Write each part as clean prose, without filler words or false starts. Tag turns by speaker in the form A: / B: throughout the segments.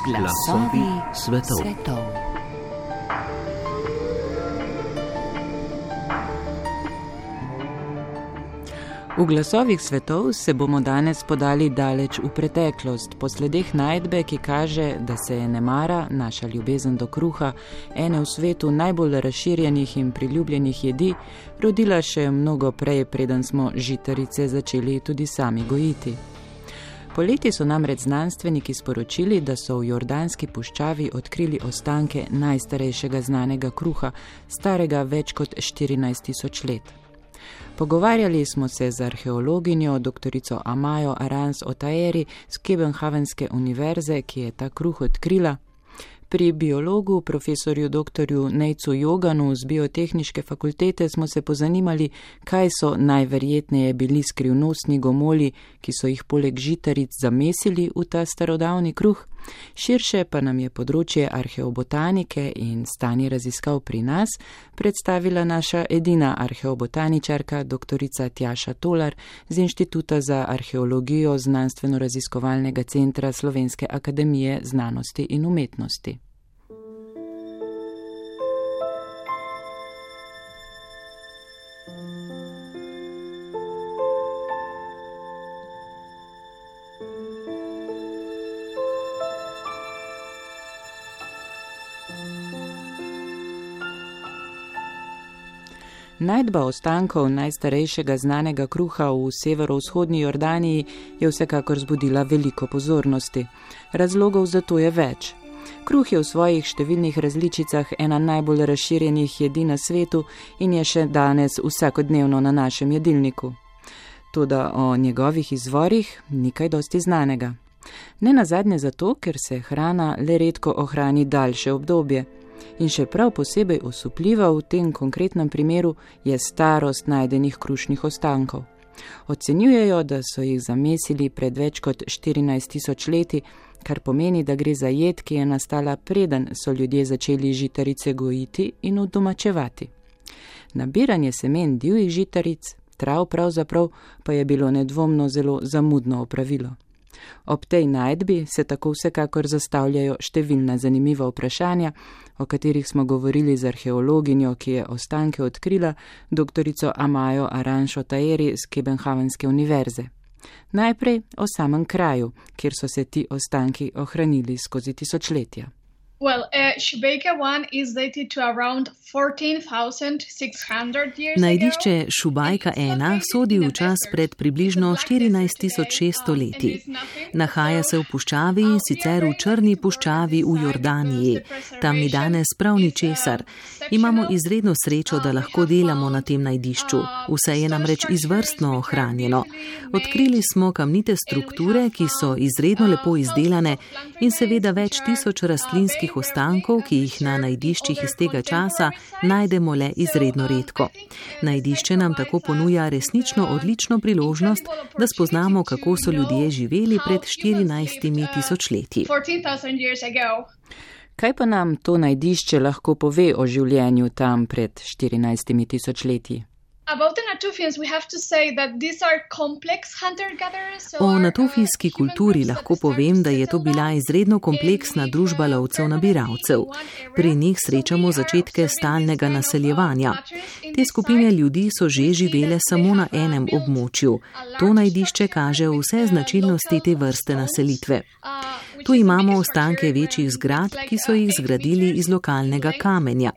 A: Glasovi svetov. V glasovih svetov se bomo danes podali daleč v preteklost, po sledeh najdbe, ki kaže, da se je nemara, naša ljubezen do kruha, ene v svetu najbolj razširjenih in priljubljenih jedi, rodila še mnogo prej, preden smo žitarice začeli tudi sami gojiti. Poleti so namreč znanstveniki sporočili, da so v Jordanski puščavi odkrili ostanke najstarejšega znanega kruha, starega več kot 14.000 let. Pogovarjali smo se z arheologinjo doktorico Amajo Arans-Otaeri z Kopenhagenske univerze, ki je ta kruh odkrila, pri biologu profesorju doktorju Nejcu Joganu z biotehniške fakultete smo se pozanimali, kaj so najverjetneje bili skrivnostni gomolji, ki so jih poleg žitaric zamesili v ta starodavni kruh. Širše pa nam je področje arheobotanike in stanje raziskav pri nas predstavila naša edina arheobotaničarka, doktorica Tjaša Tolar z Inštituta za arheologijo Znanstveno-raziskovalnega centra Slovenske akademije znanosti in umetnosti. Najdba ostankov najstarejšega znanega kruha v severovzhodni Jordaniji je vsekakor zbudila veliko pozornosti. Razlogov za to je več. Kruh je v svojih številnih različicah ena najbolj razširjenih jedi na svetu in je še danes vsakodnevno na našem jedilniku. Toda o njegovih izvorih ni kaj dosti znanega. Ne nazadnje zato, ker se hrana le redko ohrani daljše obdobje. In še prav posebej osupljiva v tem konkretnem primeru je starost najdenih krušnih ostankov. Ocenjujejo, da so jih zamesili pred več kot 14.000 leti, kar pomeni, da gre za jed, ki je nastala preden so ljudje začeli žitarice gojiti in udomačevati. Nabiranje semen divjih žitaric, trav pravzaprav, pa je bilo nedvomno zelo zamudno opravilo. Ob tej najdbi se tako vsekakor zastavljajo številna zanimiva vprašanja, o katerih smo govorili z arheologinjo, ki je ostanke odkrila, doktorico Amajo Arans-Otaeri z Kopenhagenske univerze. Najprej o samem kraju, kjer so se ti ostanki ohranili skozi tisočletja.
B: Šubejka 1 is dated to around 14,600 years ago.
C: Najdišče Šubajka 1 sodi v čas pred približno 14.600 leti. Nahaja se v puščavi, sicer v Črni puščavi v Jordaniji. Tam ni danes prav ničesar. Imamo izredno srečo, da lahko delamo na tem najdišču. Vse je namreč izvrstno ohranjeno. Odkrili smo kamnite strukture, ki so izredno lepo izdelane in seveda več tisoč rastlinskih ostankov, ki jih na najdiščih iz tega časa najdemo le izredno redko. Najdišče nam tako ponuja resnično odlično priložnost, da spoznamo, kako so ljudje živeli pred 14.000 leti.
A: Kaj pa nam to najdišče lahko pove o življenju tam pred 14.000 leti?
C: O natufijski kulturi lahko povem, da je to bila izredno kompleksna družba lovcev-nabiralcev. Pri njih srečamo začetke stalnega naseljevanja. Te skupine ljudi so že živele samo na enem območju. To najdišče kaže vse značilnosti te vrste naselitve. Tu imamo ostanke večjih zgradb, ki so jih zgradili iz lokalnega kamenja.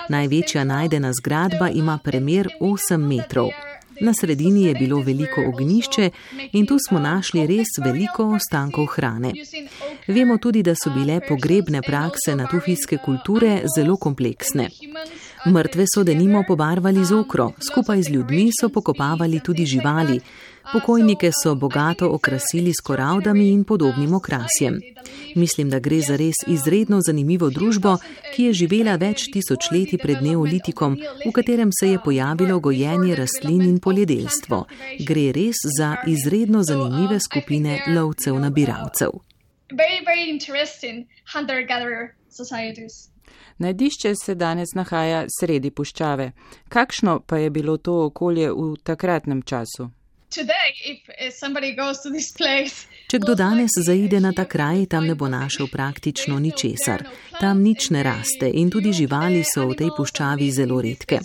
C: Največja najdena zgradba ima premer 8 metrov. Na sredini je bilo veliko ognjišče in tu smo našli res veliko ostankov hrane. Vemo tudi, da so bile pogrebne prakse natufijske kulture zelo kompleksne. Mrtve so denimo pobarvali z okro, skupaj z ljudmi so pokopavali tudi živali. Pokojnike so bogato okrasili s koraldami in podobnim okrasjem. Mislim, da gre za res izredno zanimivo družbo, ki je živela več tisočletij pred neolitikom, v katerem se je pojavilo gojenje rastlin in poljedelstvo. Gre res za izredno zanimive skupine lovcev-nabiralcev.
A: Najdišče se danes nahaja sredi puščave. Kakšno pa je bilo to okolje v takratnem času?
C: Če kdo danes zaide na ta kraj, tam ne bo našel praktično ničesar. Tam nič ne raste in tudi živali so v tej puščavi zelo redke.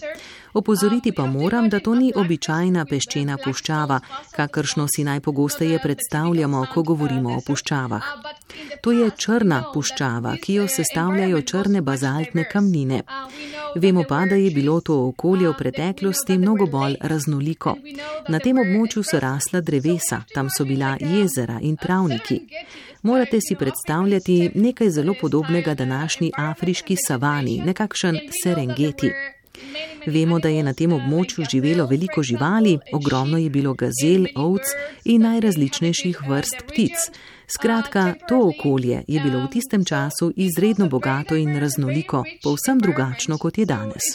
C: Opozoriti pa moram, da to ni običajna peščena puščava, kakršno si najpogosteje predstavljamo, ko govorimo o puščavah. To je črna puščava, ki jo sestavljajo črne bazaltne kamnine. Vemo pa, da je bilo to okolje v preteklosti mnogo bolj raznoliko. Na tem območju so rasla drevesa, tam so bila jezera in travniki. Morate si predstavljati nekaj zelo podobnega današnji afriški savani, nekakšen Serengeti. Vemo, da je na tem območju živelo veliko živali, ogromno je bilo gazel, ovc in najrazličnejših vrst ptic. Skratka, to okolje je bilo v tistem času izredno bogato in raznoliko, povsem drugačno, kot je danes.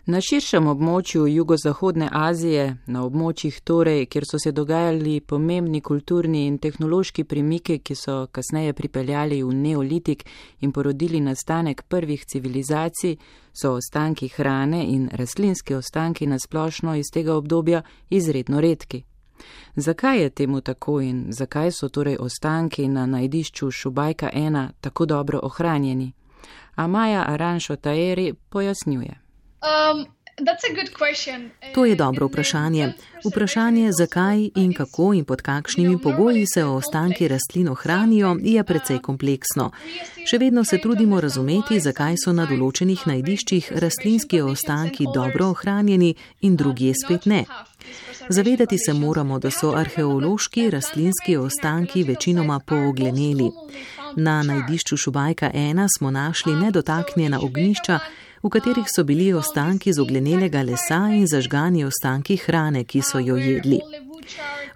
A: Na širšem območju jugozahodne Azije, na območjih torej, kjer so se dogajali pomembni kulturni in tehnološki premiki, ki so kasneje pripeljali v neolitik in porodili nastanek prvih civilizacij, so ostanki hrane in rastlinski ostanki nasplošno iz tega obdobja izredno redki. Zakaj je temu tako in zakaj so torej ostanki na najdišču Šubajka 1 tako dobro ohranjeni? Amaja Aranšo-Taeri pojasnjuje.
C: To je dobro vprašanje. Vprašanje, zakaj in kako in pod kakšnimi pogoji se ostanki rastlin ohranijo, je precej kompleksno. Še vedno se trudimo razumeti, zakaj so na določenih najdiščih rastlinski ostanki dobro ohranjeni in drugje spet ne. Zavedati se moramo, da so arheološki rastlinski ostanki večinoma poogleneli. Na najdišču Šubajka 1 smo našli nedotaknjena ognjišča, v katerih so bili ostanki z oglenelega lesa in zažgani ostanki hrane, ki so jo jedli.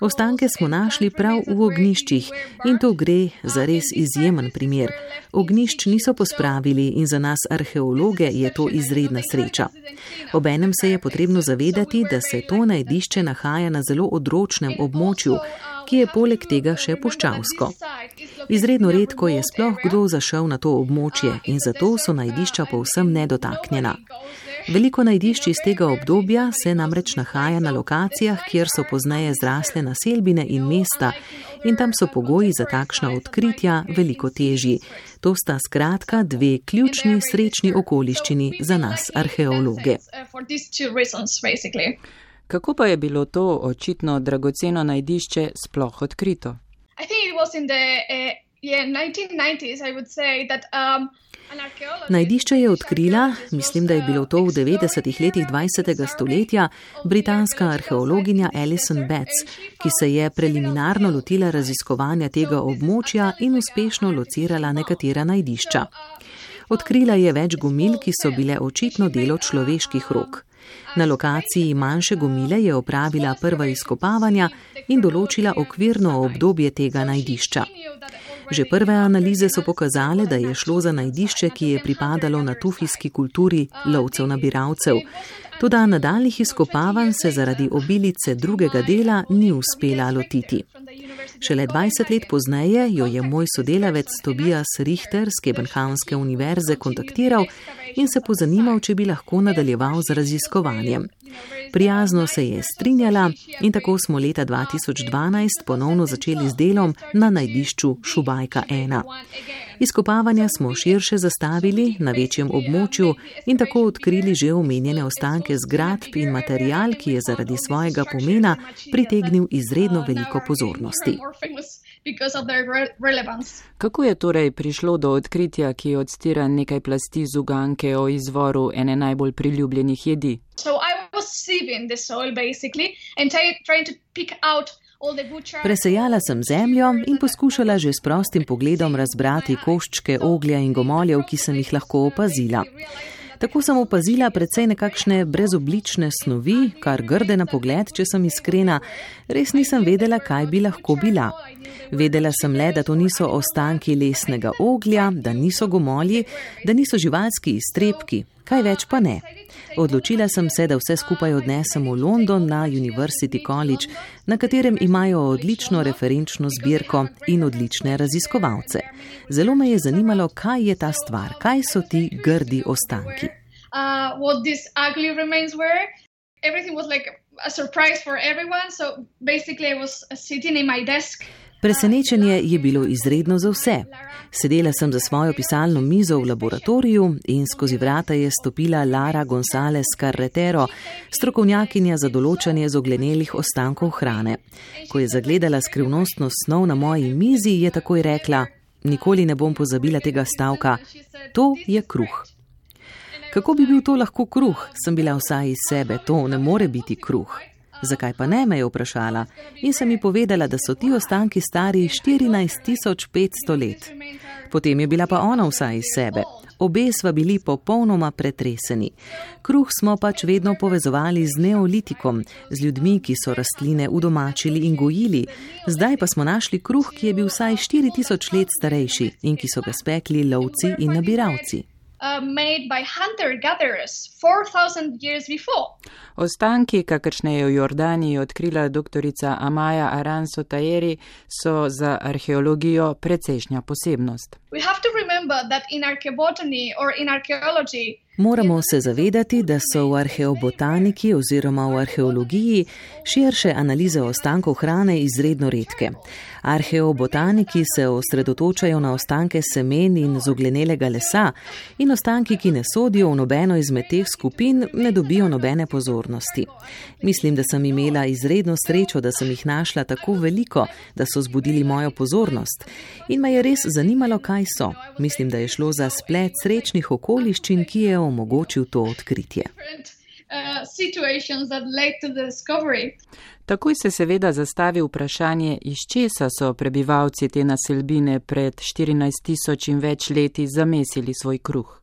C: Ostanke smo našli prav v ognjiščih in to gre za res izjemen primer. Ognjišč niso pospravili in za nas arheologe je to izredna sreča. Obenem se je potrebno zavedati, da se to najdišče nahaja na zelo odročnem območju, ki je poleg tega še puščavsko. Izredno redko je sploh kdo zašel na to območje in zato so najdišča povsem nedotaknjena. Veliko najdišč iz tega obdobja se namreč nahaja na lokacijah, kjer so pozneje zrasle naselbine in mesta in tam so pogoji za takšna odkritja veliko težji. To sta skratka dve ključni srečni okoliščini za nas arheologe.
A: Kako pa je bilo to očitno dragoceno najdišče sploh odkrito?
C: Najdišče je odkrila, mislim, da je bilo to v 90. letih 20. stoletja, britanska arheologinja Alison Betts, ki se je preliminarno lotila raziskovanja tega območja in uspešno locirala nekatera najdišča. Odkrila je več gomil, ki so bile očitno delo človeških rok. Na lokaciji manjše gomile je opravila prva izkopavanja in določila okvirno obdobje tega najdišča. Že prve analize so pokazale, da je šlo za najdišče, ki je pripadalo natufijski kulturi lovcev-nabiralcev. Toda nadaljnjih izkopavanj se zaradi obilice drugega dela ni uspela lotiti. Šele 20 let pozneje jo je moj sodelavec Tobias Richter z Kebenhavnske univerze kontaktiral in se pozanimal, če bi lahko nadaljeval z raziskovanjem. Prijazno se je strinjala in tako smo leta 2012 ponovno začeli z delom na najdišču Šubajka 1. Izkopavanja smo širše zastavili na večjem območju in tako odkrili že omenjene ostanke zgradb in material, ki je zaradi svojega pomena pritegnil izredno veliko pozornosti.
A: Kako je torej prišlo do odkritja, ki odstira nekaj plasti z uganke o izvoru ene najbolj priljubljenih jedi?
C: Presejala sem zemljo in poskušala že s prostim pogledom razbrati koščke oglja in gomoljev, ki sem jih lahko opazila. Tako sem opazila precej nekakšne brezoblične snovi, kar grde na pogled, če sem iskrena, res nisem vedela, kaj bi lahko bila. Vedela sem le, da to niso ostanki lesnega oglja, da niso gomolji, da niso živalski iztrebki, kaj več pa ne. Odločila sem se, da vse skupaj odnesem v London na University College, na katerem imajo odlično referenčno zbirko in odlične raziskovalce. Zelo me je zanimalo, kaj je ta stvar, kaj so ti grdi ostanki.
B: everything was like a surprise for everyone. So basically I was sitting in my desk.
C: Presenečenje je bilo izredno za vse. Sedela sem za svojo pisalno mizo v laboratoriju in skozi vrata je stopila Lara González Carretero, strokovnjakinja za določanje zoglenelih ostankov hrane. Ko je zagledala skrivnostno snov na moji mizi, je takoj rekla: "Nikoli ne bom pozabila tega stavka. To je kruh." Kako bi bil to lahko kruh, sem bila vsaj iz sebe, to ne more biti kruh. Zakaj pa ne, me je vprašala in sem ji povedala, da so ti ostanki stari 14.500 let. Potem je bila pa ona vsaj iz sebe. Obe sva bili popolnoma pretreseni. Kruh smo pač vedno povezovali z neolitikom, z ljudmi, ki so rastline udomačili in gojili. Zdaj pa smo našli kruh, ki je bil vsaj 4000 let starejši in ki so ga spekli lovci in nabiralci.
B: Made by hunter-gatherers 4,000 years before.
A: Ostanki, kakršne je v Jordaniji odkrila doktorica Amaya Aranzo-Tayeri, so za arheologijo precejšnja posebnost.
B: We have to remember that in archaeobotany or in archaeology,
C: moramo se zavedati, da so v arheobotaniki oziroma v arheologiji širše analize ostankov hrane izredno redke. Arheobotaniki se osredotočajo na ostanke semen in zoglenelega lesa in ostanki, ki ne sodijo v nobeno izmed teh skupin, ne dobijo nobene pozornosti. Mislim, da sem imela izredno srečo, da sem jih našla tako veliko, da so zbudili mojo pozornost. In me je res zanimalo, kaj so. Mislim, da je šlo za splet srečnih okoliščin, ki je omogočil to odkritje.
A: Takoj se seveda zastavi vprašanje, iz česa so prebivalci te naselbine pred 14.000 in več leti zamesili svoj kruh.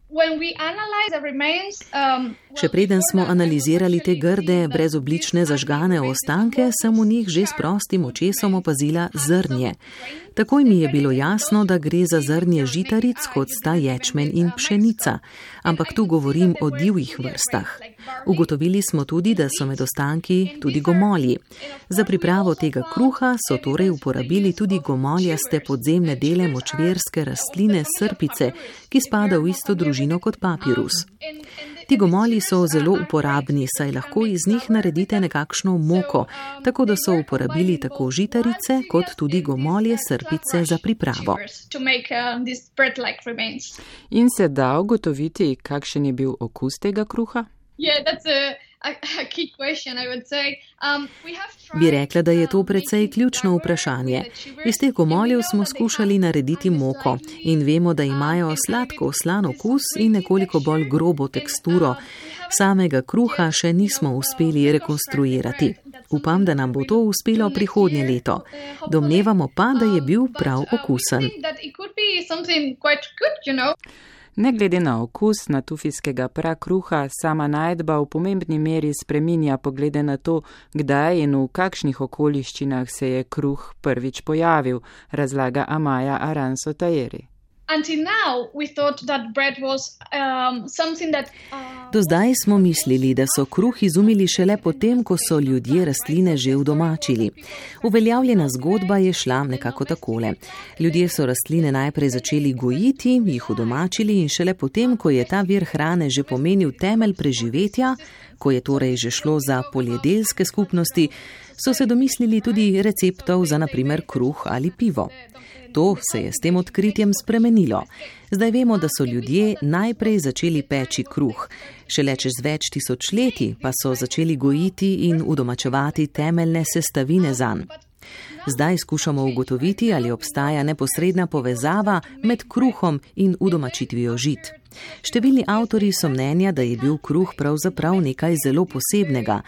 C: Še preden smo analizirali te grde, brezoblične zažgane ostanke, sem v njih že s prostim očesom opazila zrnje. Takoj mi je bilo jasno, da gre za zrnje žitaric, kot sta ječmen in pšenica, ampak tu govorim o divjih vrstah. Ugotovili smo tudi, da so med ostanki tudi gomolji. Za pripravo tega kruha so torej uporabili tudi gomoljaste podzemne dele močvirske rastline srpice, ki spada v isto družino kot papirus. Ti gomolji so zelo uporabni, saj lahko iz njih naredite nekakšno moko, tako da so uporabili tako žitarice kot tudi gomolje srpice za pripravo.
A: In se da ugotoviti, kakšen je bil okus tega kruha?
C: Bi rekla, da je to precej ključno vprašanje. Iz teh gomoljev smo skušali narediti moko in vemo, da imajo sladko slan okus in nekoliko bolj grobo teksturo. Samega kruha še nismo uspeli rekonstruirati. Upam, da nam bo to uspelo prihodnje leto. Domnevamo pa, da je bil prav okusen.
A: Ne glede na okus natufijskega prakruha, sama najdba v pomembni meri spreminja poglede na to, kdaj in v kakšnih okoliščinah se je kruh prvič pojavil, razlaga Amaya Aranzo-Tayeri.
C: Do zdaj smo mislili, da so kruh izumili šele potem, ko so ljudje rastline že udomačili. Uveljavljena zgodba je šla nekako takole. Ljudje so rastline najprej začeli gojiti, jih udomačili in šele potem, ko je ta vir hrane že pomenil temelj preživetja, ko je torej že šlo za poljedelske skupnosti, so se domislili tudi receptov za na primer kruh ali pivo. To se je s tem odkritjem spremenilo. Zdaj vemo, da so ljudje najprej začeli peči kruh. Šele čez več tisočletij pa so začeli gojiti in udomačevati temeljne sestavine zanj. Zdaj skušamo ugotoviti, ali obstaja neposredna povezava med kruhom in udomačitvijo žit. Številni avtorji so mnenja, da je bil kruh pravzaprav nekaj zelo posebnega.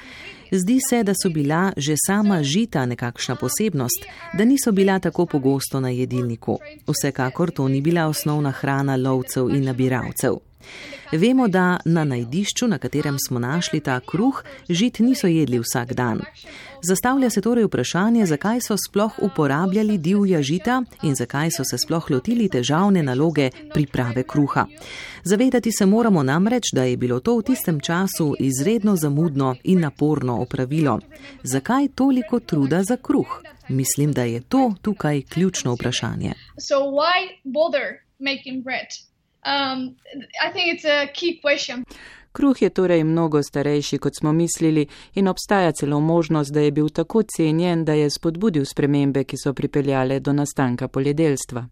C: Zdi se, da so bila že sama žita nekakšna posebnost, da niso bila tako pogosto na jedilniku. Vsekakor to ni bila osnovna hrana lovcev in nabiralcev. Vemo, da na najdišču, na katerem smo našli ta kruh, žit niso jedli vsak dan. Zastavlja se torej vprašanje, zakaj so sploh uporabljali divja žita in zakaj so se sploh lotili težavne naloge priprave kruha. Zavedati se moramo namreč, da je bilo to v tistem času izredno zamudno in naporno opravilo. Zakaj toliko truda za kruh? Mislim, da je to tukaj ključno vprašanje.
B: I think it's a key question.
A: Kruh je torej mnogo starejši, kot smo mislili, in obstaja celo možnost, da je bil tako cenjen, da je spodbudil spremembe, ki so pripeljale do nastanka poljedelstva.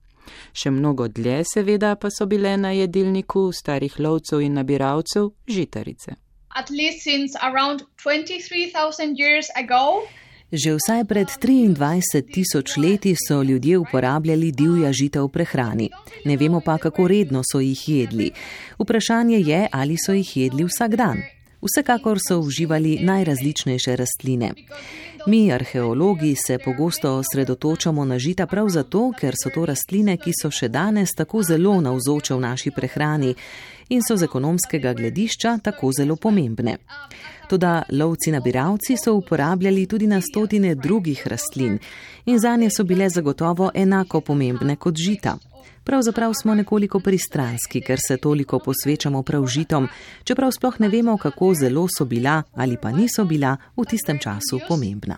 A: Še mnogo dlje seveda pa so bile na jedilniku starih lovcev in nabiralcev žitarice.
B: At least since around 23,000 years ago,
C: že vsaj pred 23,000 leti so ljudje uporabljali divja žita v prehrani. Ne vemo pa, kako redno so jih jedli. Vprašanje je, ali so jih jedli vsak dan. Vsekakor so uživali najrazličnejše rastline. Mi, arheologi, se pogosto osredotočamo na žita prav zato, ker so to rastline, ki so še danes tako zelo navzoče v naši prehrani in so z ekonomskega gledišča tako zelo pomembne. Toda lovci-nabiralci so uporabljali tudi na stotine drugih rastlin in zanje so bile zagotovo enako pomembne kot žita. Pravzaprav smo nekoliko pristranski, ker se toliko posvečamo prav žitom, čeprav sploh ne vemo, kako zelo so bila ali pa niso bila v tistem času pomembna.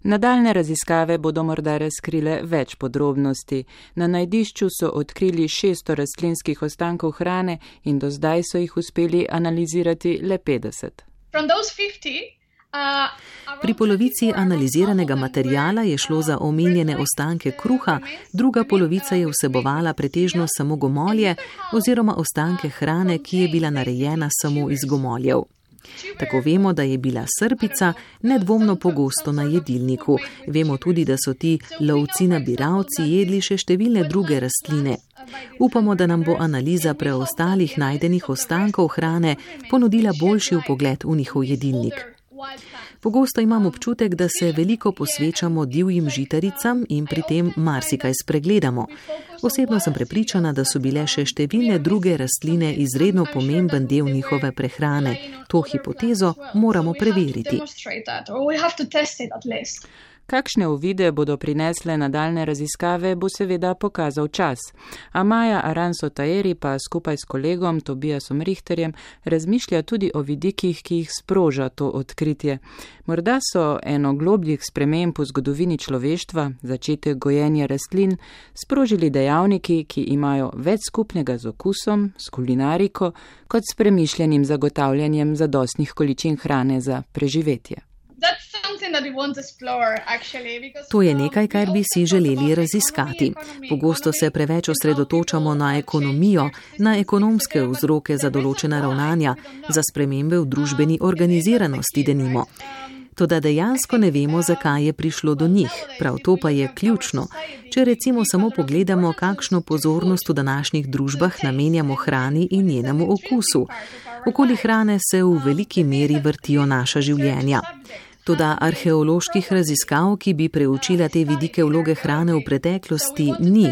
A: Nadaljne raziskave bodo morda razkrile več podrobnosti. Na najdišču so odkrili 600 rastlinskih ostankov hrane in do zdaj so jih uspeli analizirati le 50.
C: Pri polovici analiziranega materijala je šlo za omenjene ostanke kruha, druga polovica je vsebovala pretežno samo gomolje oziroma ostanke hrane, ki je bila narejena samo iz gomoljev. Tako vemo, da je bila srpica nedvomno pogosto na jedilniku. Vemo tudi, da so ti lovci-nabiralci jedli še številne druge rastline. Upamo, da nam bo analiza preostalih najdenih ostankov hrane ponudila boljši vpogled v njihov jedilnik. Pogosto imam občutek, da se veliko posvečamo divjim žitaricam in pri tem marsikaj spregledamo. Osebno sem prepričana, da so bile še številne druge rastline izredno pomemben del njihove prehrane. To hipotezo moramo preveriti.
A: Kakšne uvide bodo prinesle nadaljne raziskave, bo seveda pokazal čas. Amaya Aranso-Taheri pa skupaj s kolegom Tobiasom Richterjem razmišlja tudi o vidikih, ki jih sproža to odkritje. Morda so eno globljih sprememb v zgodovini človeštva, začetek gojenja rastlin, sprožili dejavniki, ki imajo več skupnega z okusom, s kulinariko, kot s premišljenim zagotavljanjem zadostnih količin hrane za preživetje.
C: To je nekaj, kar bi si želeli raziskati. Pogosto se preveč osredotočamo na ekonomijo, na ekonomske vzroke za določena ravnanja, za spremembe v družbeni organiziranosti denimo. Toda dejansko ne vemo, zakaj je prišlo do njih. Prav to pa je ključno. Če recimo samo pogledamo, kakšno pozornost v današnjih družbah namenjamo hrani in njenemu okusu. Okoli hrane se v veliki meri vrtijo naša življenja. Toda arheoloških raziskav, ki bi preučila te vidike vloge hrane v preteklosti, ni.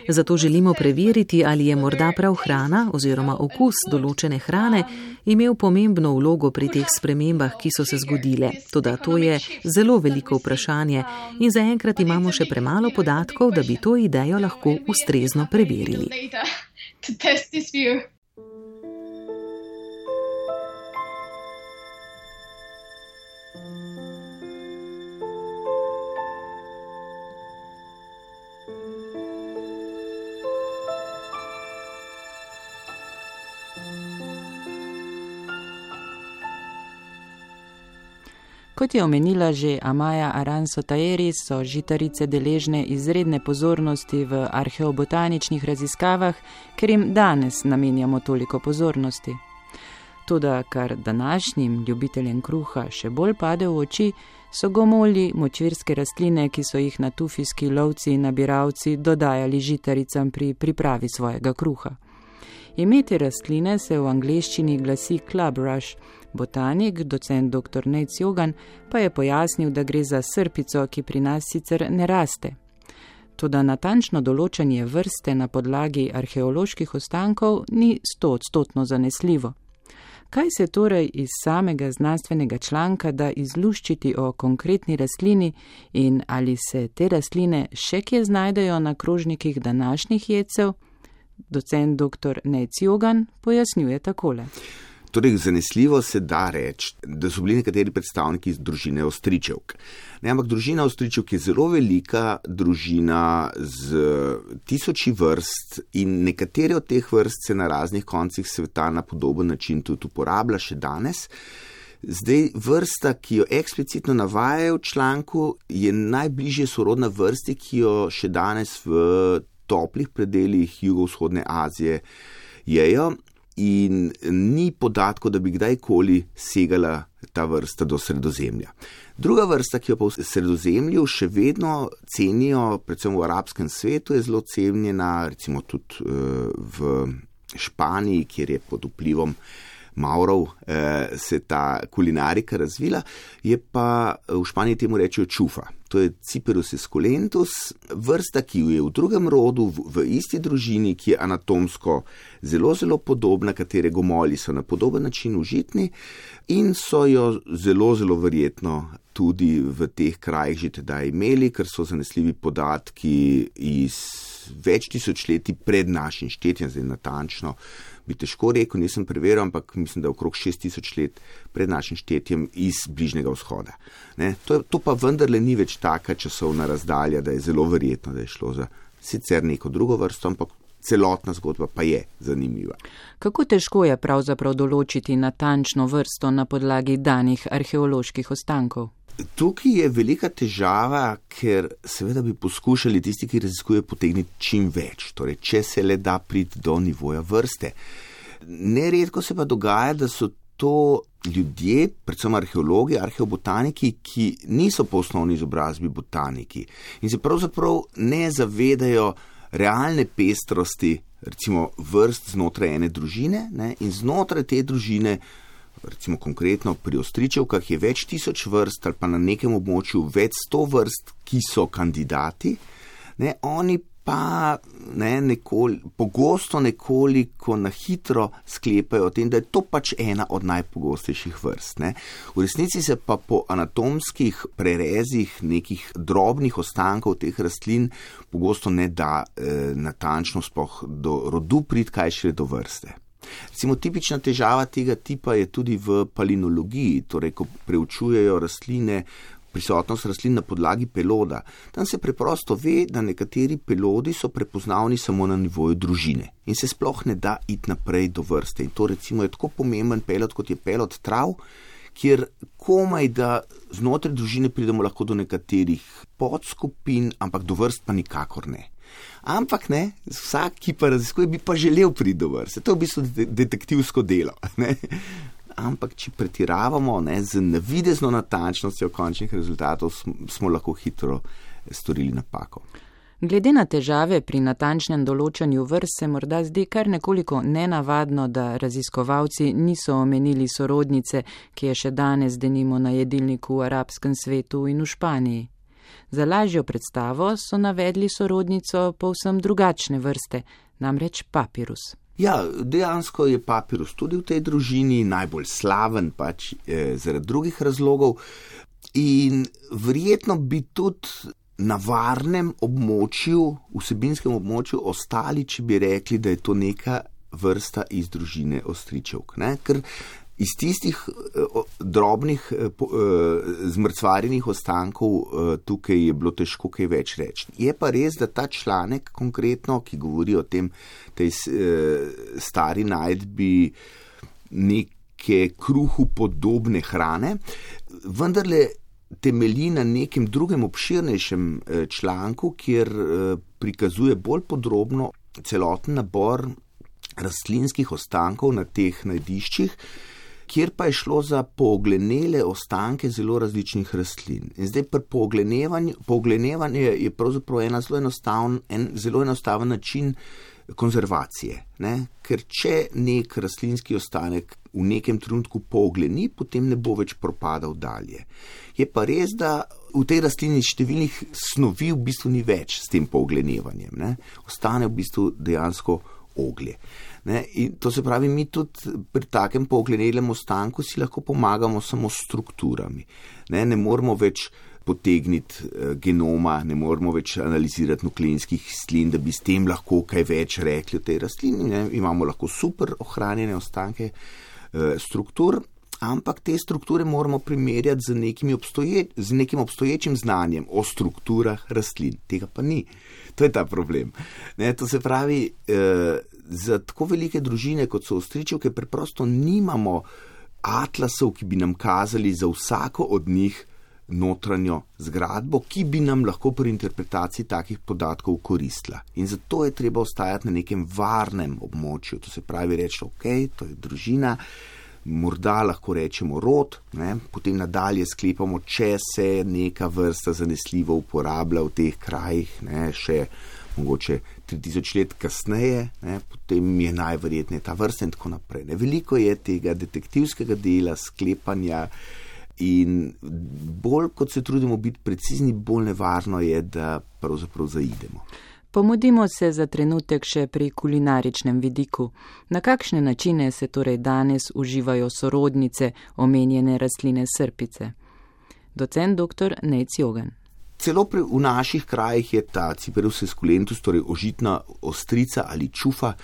C: Zato želimo preveriti, ali je morda prav hrana oziroma okus določene hrane imel pomembno vlogo pri teh spremembah, ki so se zgodile. Toda to je zelo veliko vprašanje in zaenkrat imamo še premalo podatkov, da bi to idejo lahko ustrezno preverili.
A: Kot je omenila že Amaya Aranso-Taheri, so žitarice deležne izredne pozornosti v arheobotaničnih raziskavah, ker jim danes namenjamo toliko pozornosti. Toda, kar današnjim ljubiteljem kruha še bolj pade v oči, so gomolji, močvirske rastline, ki so jih natufijski lovci in nabiralci dodajali žitaricam pri pripravi svojega kruha. Ime te rastline se v angleščini glasi clubrush. Botanik, docent dr. Nate Siougan, pa je pojasnil, da gre za srpico, ki pri nas sicer ne raste. Toda natančno določanje vrste na podlagi arheoloških ostankov ni 100% zanesljivo. Kaj se torej iz samega znanstvenega članka da izluščiti o konkretni rastlini in ali se te rastline še kje znajdejo na krožnikih današnjih jedcev? Docent dr. Nate Siougan pojasnjuje takole.
D: Torej, zanesljivo se da reči, da so bili nekateri predstavniki iz družine Ostričevk. Ampak družina Ostričevk je zelo velika družina z tisoči vrst in nekatere od teh vrst se na raznih koncih sveta na podoben način tudi uporablja še danes. Zdaj, vrsta, ki jo eksplicitno navajajo v članku, je najbližje sorodna vrsti, ki jo še danes v toplih predeljih jugovzhodne Azije jejo. In ni podatkov, da bi kdajkoli segala ta vrsta do Sredozemlja. Druga vrsta, ki jo pa v Sredozemlju še vedno cenijo, predvsem v arabskem svetu, je zelo cenjena, recimo tudi v Španiji, kjer je pod vplivom Mavrov se ta kulinarika razvila, je pa v Španiji temu rečejo čufa. To je Cyperus esculentus, vrsta, ki je v drugem rodu, v isti družini, ki je anatomsko zelo, zelo podobna, katere gomolji so na podoben način užitni in so jo zelo, zelo verjetno tudi v teh krajih že tedaj imeli, ker so zanesljivi podatki iz več tisočletij pred našim štetjem, zdaj natančno bi težko rekel, nisem preveril, ampak mislim, da okrog 6000 let pred našim štetjem iz Bližnjega vzhoda. To pa vendarle ni več taka časovna razdalja, da je zelo verjetno, da je šlo za sicer neko drugo vrsto, ampak celotna zgodba pa je zanimiva.
A: Kako težko je pravzaprav določiti natančno vrsto na podlagi danih arheoloških ostankov?
D: Tukaj je velika težava, ker seveda bi poskušali tisti, ki raziskujejo, potegniti čim več, torej če se le da priti do nivoja vrste. Neredko se pa dogaja, da so to ljudje, predvsem arheologi, arheobotaniki, ki niso po osnovni izobrazbi botaniki in se pravzaprav ne zavedajo realne pestrosti, recimo vrst znotraj ene družine, in znotraj te družine, recimo konkretno pri Ostričevkah, je več tisoč vrst ali pa na nekem območju več 100 vrst, ki so kandidati, oni pa pogosto nekoliko na hitro sklepajo o tem, da je to pač ena od najpogostejših vrst. V resnici se pa po anatomskih prerezih nekih drobnih ostankov teh rastlin pogosto ne da natančno sploh do rodu priti, kaj šele do vrste. Recimo, tipična težava tega tipa je tudi v palinologiji, torej ko preučujejo rastline, prisotnost rastlin na podlagi peloda. Tam se preprosto ve, da nekateri pelodi so prepoznavni samo na nivoju družine in se sploh ne da iti naprej do vrste. In to recimo je tako pomemben pelod, kot je pelod trav, kjer komaj da znotraj družine pridemo lahko do nekaterih podskupin, ampak do vrst pa nikakor ne. Ampak vsak, ki pa raziskuje, bi pa želel priti do vrste. To je v bistvu detektivsko delo. Ampak, če pretiravamo z navidezno natančnostjo končnih rezultatov, smo lahko hitro storili napako.
A: Glede na težave pri natančnem določanju vrst se morda zdi kar nekoliko nenavadno, da raziskovalci niso omenili sorodnice, ki je še danes denimo na jedilniku v arabskem svetu in v Španiji. Za lažjo predstavo so navedli sorodnico povsem drugačne vrste, namreč papirus.
D: Ja, dejansko je papirus tudi v tej družini, najbolj slaven pač zaradi drugih razlogov in verjetno bi tudi na varnem območju, vsebinskem območju ostali, če bi rekli, da je to neka vrsta iz družine Ostričevk. Ker iz tistih drobnih zmrcvarjenih ostankov tukaj je bilo težko kaj več reči. Je pa res, da ta članek konkretno, ki govori o tej stari najdbi neke kruhu podobne hrane, vendarle temelji na nekem drugem obširnejšem članku, kjer prikazuje bolj podrobno celoten nabor rastlinskih ostankov na teh najdiščih, kjer pa je šlo za pooglenele ostanke zelo različnih rastlin. In zdaj pri pooglenevanje je pravzaprav en zelo enostaven način konzervacije. Ker če nek rastlinski ostanek v nekem trenutku poogleni, potem ne bo več propadal dalje. Je pa res, da v tej rastlini številnih snovi v bistvu ni več s tem pooglenevanjem. Ostane v bistvu dejansko oglje. In to se pravi, mi tudi pri takem pooglenelem ostanku si lahko pomagamo samo s strukturami. Ne moramo več potegniti genoma, ne moramo več analizirati nukleinskih kislin, da bi s tem lahko kaj več rekli o tej rastlini. Imamo lahko super ohranjene ostanke struktur, ampak te strukture moramo primerjati z nekim obstoječim znanjem o strukturah rastlin. Tega pa ni. To je ta problem. To se pravi, za tako velike družine, kot so ostričevke, preprosto nimamo atlasov, ki bi nam kazali za vsako od njih notranjo zgradbo, ki bi nam lahko pri interpretaciji takih podatkov koristila. In zato je treba ostajati na nekem varnem območju. To se pravi reči, ok, to je družina, morda lahko rečemo rod, potem nadalje sklepamo, če se neka vrsta zanesljivo uporablja v teh krajih, še mogoče 3000 let kasneje, potem je najverjetneje ta vrsta in tako naprej. Veliko je tega detektivskega dela, sklepanja in bolj kot se trudimo biti precizni, bolj nevarno je, da pravzaprav zaidemo.
A: Pomudimo se za trenutek še pri kulinaričnem vidiku. Na kakšne načine se torej danes uživajo sorodnice omenjene rastline srpice? Docent dr. Nejc Jogan.
D: Celo v naših krajih je ta Ciperus esculentus, torej ožitna ostrica ali čufa,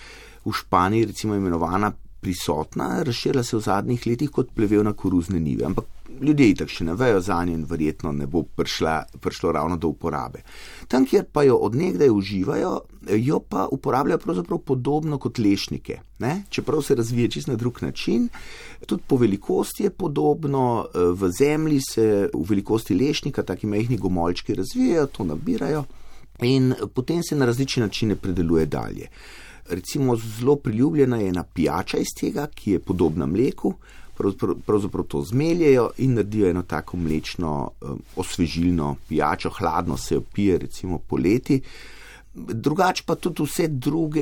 D: v Španiji recimo imenovana, prisotna, razširila se v zadnjih letih kot plevel na koruzne njive, ampak ljudje itak še ne vejo zanje in verjetno ne bo prišlo ravno do uporabe. Tam, kjer pa jo od nekdaj uživajo, jo pa uporabljajo pravzaprav podobno kot lešnike. Čeprav se razvije čisto na drug način, tudi po velikosti je podobno, v zemlji se v velikosti lešnika taki majhni gomoljčki razvijajo, to nabirajo in potem se na različne načine predeluje dalje. Recimo zelo priljubljena je ena pijača iz tega, ki je podobna mleku, pravzaprav to zmeljejo in naredijo eno tako mlečno osvežilno pijačo, hladno se jo pije recimo poleti. Drugače pa tudi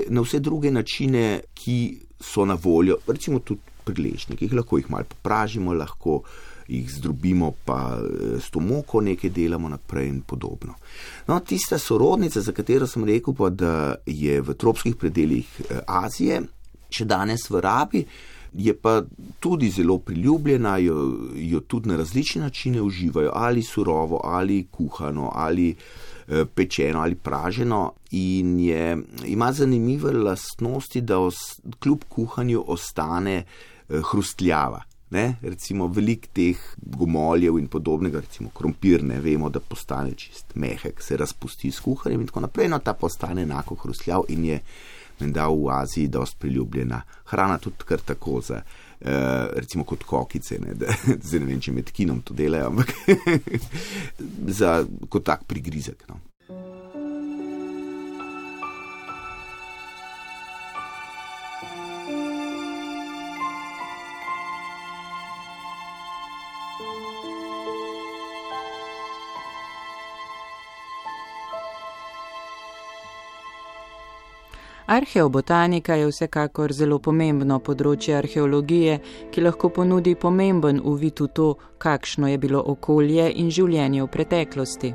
D: na vse druge načine, ki so na voljo, recimo tudi pri lešnikih, lahko jih malo popražimo, lahko jih zdrobimo, pa s to moko nekaj delamo naprej in podobno. Tista sorodnica, za katero sem rekel pa, da je v tropskih predelih Azije, še danes v rabi, je pa tudi zelo priljubljena, jo tudi na različne načine uživajo, ali surovo, ali kuhano, ali pečeno, ali praženo in ima zanimive lastnosti, da kljub kuhanju ostane hrustljava. Recimo veliko teh gomoljev in podobnega, recimo krompir, vemo, da postane čist mehek, se razpusti s kuhanjem in tako naprej, ta postane enako hrustljav in je menda v Aziji dosti priljubljena hrana, tudi kar tako za, recimo kot kokice, zdaj ne vem, če med kinom to delajo, ampak kot tak prigrizek.
A: Arheobotanika je vsekakor zelo pomembno področje arheologije, ki lahko ponudi pomemben uvid v to, kakšno je bilo okolje in življenje v preteklosti.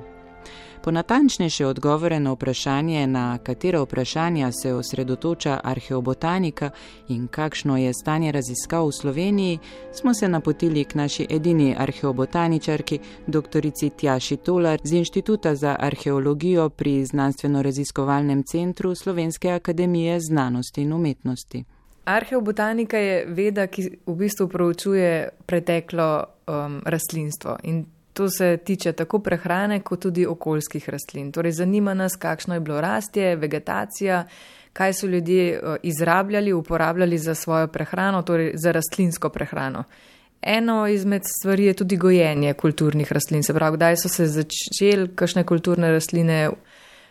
A: Po natančnejše odgovore na vprašanje, na katera vprašanja se osredotoča arheobotanika in kakšno je stanje raziskav v Sloveniji, smo se napotili k naši edini arheobotaničarki, doktorici Tjaši Tolar z Inštituta za arheologijo pri Znanstveno-raziskovalnem centru Slovenske akademije znanosti in umetnosti.
E: Arheobotanika je veda, ki v bistvu proučuje preteklo rastlinstvo in to se tiče tako prehrane, kot tudi okoljskih rastlin. Torej, zanima nas, kakšno je bilo rastje, vegetacija, kaj so ljudje izrabljali, uporabljali za svojo prehrano, torej za rastlinsko prehrano. Eno izmed stvari je tudi gojenje kulturnih rastlin. Se pravi, kdaj so se začeli kakšne kulturne rastline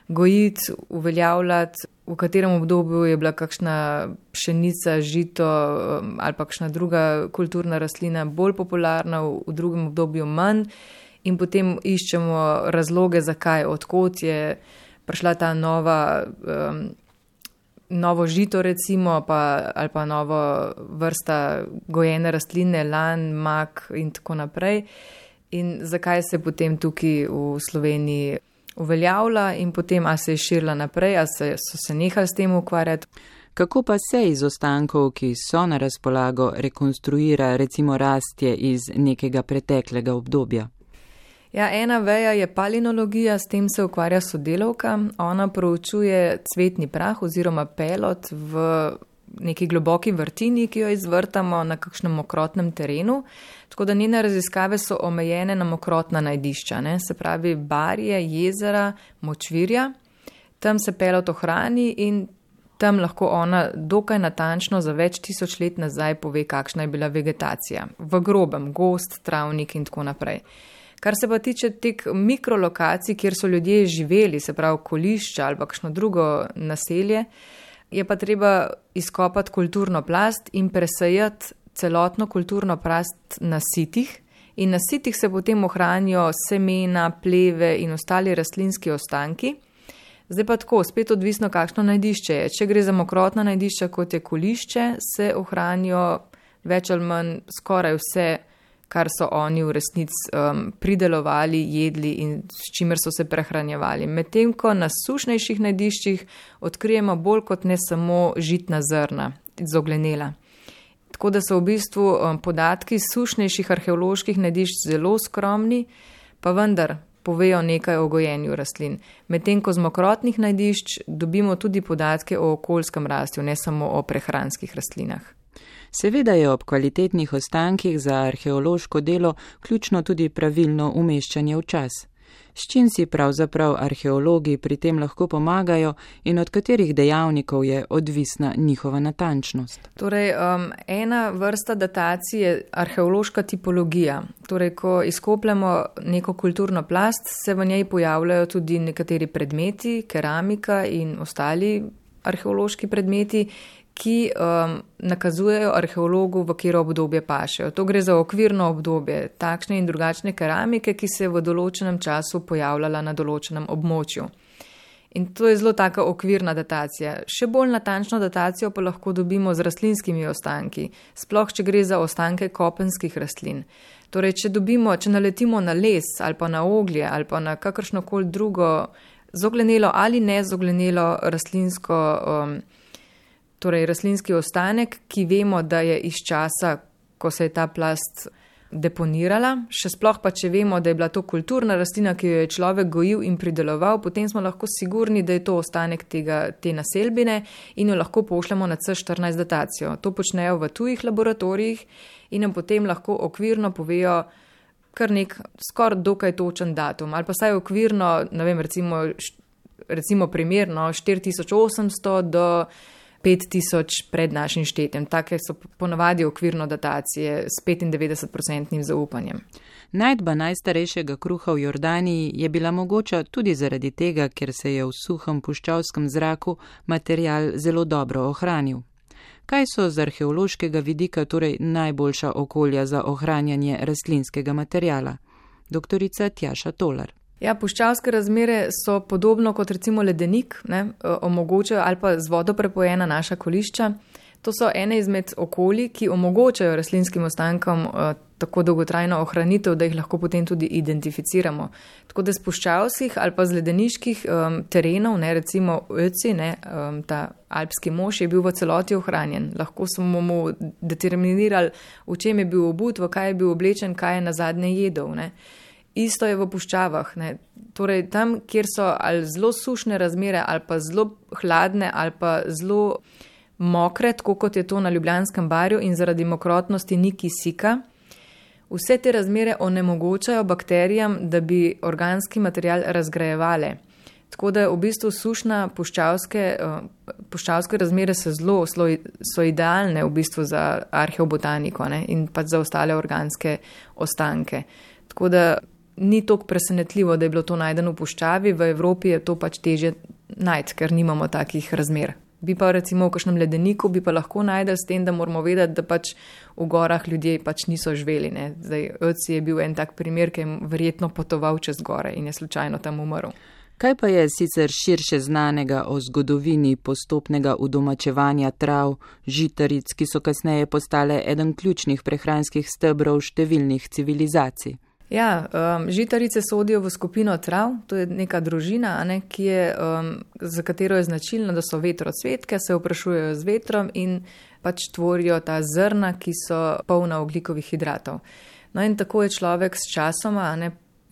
E: gojiti, uveljavljati, v katerem obdobju je bila kakšna pšenica, žito ali pa kakšna druga kulturna rastlina bolj popularna, v drugem obdobju manj in potem iščemo razloge, zakaj, odkot je prišla ta novo žito recimo, ali pa novo vrsta gojene rastline, lan, mak in tako naprej in zakaj se potem tukaj v Sloveniji uveljavlja in potem, a se je širila naprej, a so se nehali s tem ukvarjati.
A: Kako pa se iz ostankov, ki so na razpolago, rekonstruira recimo rastje iz nekega preteklega obdobja?
E: Ja, ena veja je palinologija, s tem se ukvarja sodelavka. Ona proučuje cvetni prah oziroma pelod v neki globoki vrtini, ki jo izvrtamo na kakšnem mokrotnem terenu. Tako da njene raziskave so omejene na mokrotna najdišča, ne? Se pravi barje, jezera, močvirja. Tam se pelot ohrani in tam lahko ona dokaj natančno za več tisoč let nazaj pove, kakšna je bila vegetacija. V grobem, gost, travnik in tako naprej. Kar se pa tiče teh mikrolokacij, kjer so ljudje živeli, se pravi kolišča ali kakšno drugo naselje, je pa treba izkopati kulturno plast in presejati celotno kulturno plast na sitih. In na sitih se potem ohranijo semena, pleve in ostali rastlinski ostanki. Zdaj pa tako, spet odvisno, kakšno najdišče je. Če gre za mokrotna najdišča, kot je kolišče, se ohranijo več ali manj skoraj vse, kar so oni v resnici pridelovali, jedli in s čimer so se prehranjevali. Medtem ko na sušnejših najdiščih odkrijemo bolj kot ne samo žitna zrna, zoglenela. Tako da so v bistvu podatki sušnejših arheoloških najdišč zelo skromni, pa vendar povejo nekaj o gojenju rastlin. Medtem ko z mokrotnih najdišč dobimo tudi podatke o okoljskem rastju, ne samo o prehranskih rastlinah.
A: Seveda je ob kvalitetnih ostankih za arheološko delo ključno tudi pravilno umeščanje v čas. S čim si pravzaprav arheologi pri tem lahko pomagajo in od katerih dejavnikov je odvisna njihova natančnost?
E: Torej, ena vrsta datacij je arheološka tipologija. Torej, ko izkopljamo neko kulturno plast, se v njej pojavljajo tudi nekateri predmeti, keramika in ostali arheološki predmeti, ki nakazujejo arheologu, v katero obdobje pašejo. To gre za okvirno obdobje, takšne in drugačne keramike, ki se je v določenem času pojavljala na določenem območju. In to je zelo taka okvirna datacija. Še bolj natančno datacijo pa lahko dobimo z rastlinskimi ostanki, sploh če gre za ostanke kopenskih rastlin. Torej, če naletimo na les ali pa na oglje ali pa na kakršnokoli drugo zoglenelo ali nezoglenelo rastlinski ostanek, ki vemo, da je iz časa, ko se je ta plast deponirala, še sploh pa, če vemo, da je bila to kulturna rastlina, ki jo je človek gojil in prideloval, potem smo lahko sigurni, da je to ostanek te naselbine in jo lahko pošljemo na C14 datacijo. To počnejo v tujih laboratorijih in nam potem lahko okvirno povejo kar nek skoraj dokaj točen datum, ali pa saj okvirno, ne vem, recimo primerno 4800 do 5000 pred našim štetjem. Take so ponavadi okvirno datacije s 95% zaupanjem.
A: Najdba najstarejšega kruha v Jordaniji je bila mogoča tudi zaradi tega, ker se je v suhem puščavskem zraku material zelo dobro ohranil. Kaj so z arheološkega vidika torej najboljša okolja za ohranjanje rastlinskega materiala? Doktorica Tjaša Tolar.
E: Ja, puščavske razmere so podobno kot recimo ledenik, omogočajo ali pa z vodo prepojena naša kolišča. To so ene izmed okolij, ki omogočajo rastlinskim ostankom tako dolgotrajno ohranitev, da jih lahko potem tudi identificiramo. Tako da z puščavskih ali pa z ledeniških terenov, recimo Ötzi, ta alpski mož je bil v celoti ohranjen. Lahko smo mu determinirali, v čem je bil obut, v kaj je bil oblečen, kaj je nazadnje jedel. Isto je v puščavah. Torej, tam, kjer so ali zelo sušne razmere, ali pa zelo hladne, ali pa zelo mokre, tako kot je to na Ljubljanskem barju in zaradi mokrotnosti ni kisika, vse te razmere onemogočajo bakterijam, da bi organski material razgrajevale. Tako da v bistvu sušna puščavske razmere so idealne v bistvu za arheobotaniko in pa za ostale organske ostanke. Tako da ni toliko presenetljivo, da je bilo to najdeno v puščavi, v Evropi je to pač težje najti, ker nimamo takih razmer. Bi pa recimo v kakšnem ledeniku bi pa lahko najdel s tem, da moramo vedeti, da pač v gorah ljudje pač niso živeli. Zdaj, Ötzi je bil en tak primer, ki je verjetno potoval čez gore in je slučajno tam umrl.
A: Kaj pa je sicer širše znanega o zgodovini postopnega udomačevanja trav, žitaric, ki so kasneje postale eden ključnih prehranskih stebrov številnih civilizacij?
E: Ja, žitarice sodijo v skupino trav, to je neka družina, za katero je značilno, da so vetrocvetke, se oprašujejo z vetrom in pač tvorijo ta zrna, ki so polna ogljikovih hidratov. No in tako je človek s časoma,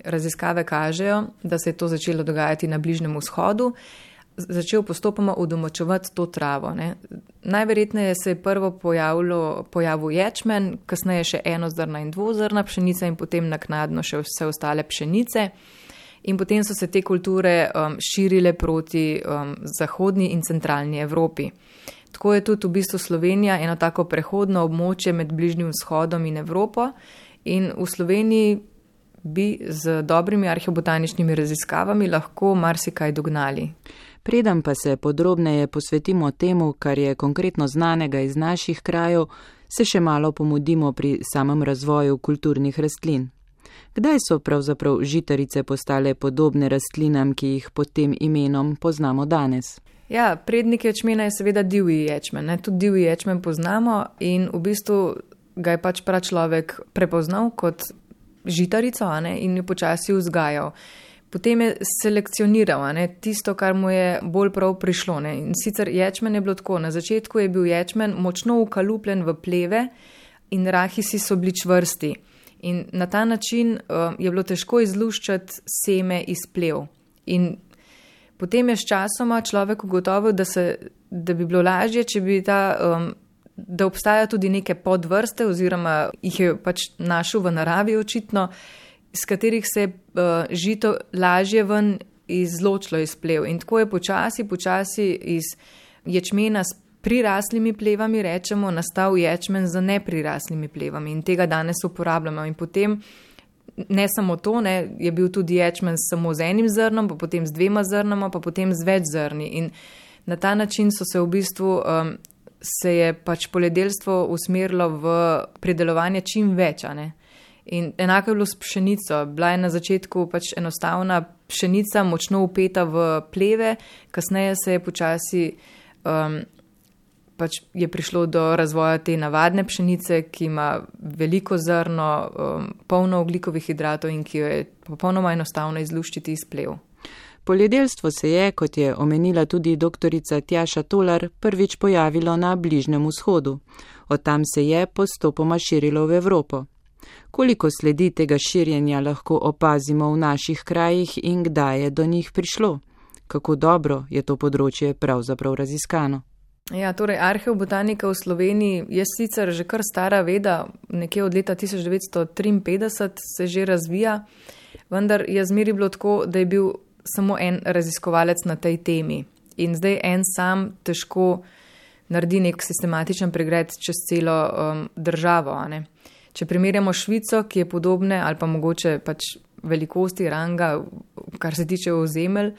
E: raziskave kažejo, da se je to začelo dogajati na Bližnjem vzhodu, začel postopoma udomačevati to travo. Ne. Najverjetneje se je prvo pojavil ječmen, kasneje še enozrna in dvozrna pšenica in potem naknadno še vse ostale pšenice. In potem so se te kulture širile proti zahodni in centralni Evropi. Tako je tudi v bistvu Slovenija eno tako prehodno območje med Bližnjim vzhodom in Evropo in v Sloveniji bi z dobrimi arheobotaničnimi raziskavami lahko marsikaj dognali.
A: Preden pa se podrobneje posvetimo temu, kar je konkretno znanega iz naših krajev, se še malo pomudimo pri samem razvoju kulturnih rastlin. Kdaj so pravzaprav žitarice postale podobne rastlinam, ki jih pod tem imenom poznamo danes?
E: Ja, prednik ječmena je seveda divji ječmen. Ne? Tudi divji ječmen poznamo in v bistvu ga je pač pračlovek prepoznal kot žitarico, in jo počasi vzgajal. Potem je selekcioniral tisto, kar mu je bolj prav prišlo. Ne? In sicer ječmen je bilo tako. Na začetku je bil ječmen močno ukalupljen v pleve in rahisi so bili čvrsti. In na ta način je bilo težko izluščati seme iz plev. In potem je s časoma človek ugotovil, da bi bilo lažje, če bi da obstaja tudi neke podvrste oziroma jih je pač našel v naravi očitno, iz katerih se je žito lažje ven izločilo iz plev. In tako je počasi iz ječmena s priraslimi plevami, rečemo, nastal ječmen z nepriraslimi plevami in tega danes uporabljamo. In potem ne samo to, je bil tudi ječmen samo z enim zrnom, pa potem z 2 zrnama, pa potem z več zrni. In na ta način so se v bistvu se je pač poljedelstvo usmerilo v pridelovanje čim več. In enako je bilo s pšenico. Bila je na začetku pač enostavna pšenica, močno upeta v pleve, kasneje se je počasi pač je prišlo do razvoja te navadne pšenice, ki ima veliko zrno, polno ogljikovih hidratov in ki jo je popolnoma enostavno izluščiti iz plev.
A: Poljedelstvo se je, kot je omenila tudi doktorica Tjaša Tolar, prvič pojavilo na Bližnjem vzhodu. Od tam se je postopoma širilo v Evropo. Koliko sledi tega širjenja lahko opazimo v naših krajih in kdaj je do njih prišlo? Kako dobro je to področje pravzaprav raziskano?
E: Ja, torej arheobotanika v Sloveniji je sicer že kar stara veda, nekje od leta 1953 se že razvija, vendar je zmeri bilo tako, da je bil samo en raziskovalec na tej temi. In zdaj en sam težko naredi nek sistematičen pregled čez celo državo. Če primerjamo Švico, ki je podobne ali pa mogoče pač velikosti ranga, kar se tiče ozemelj,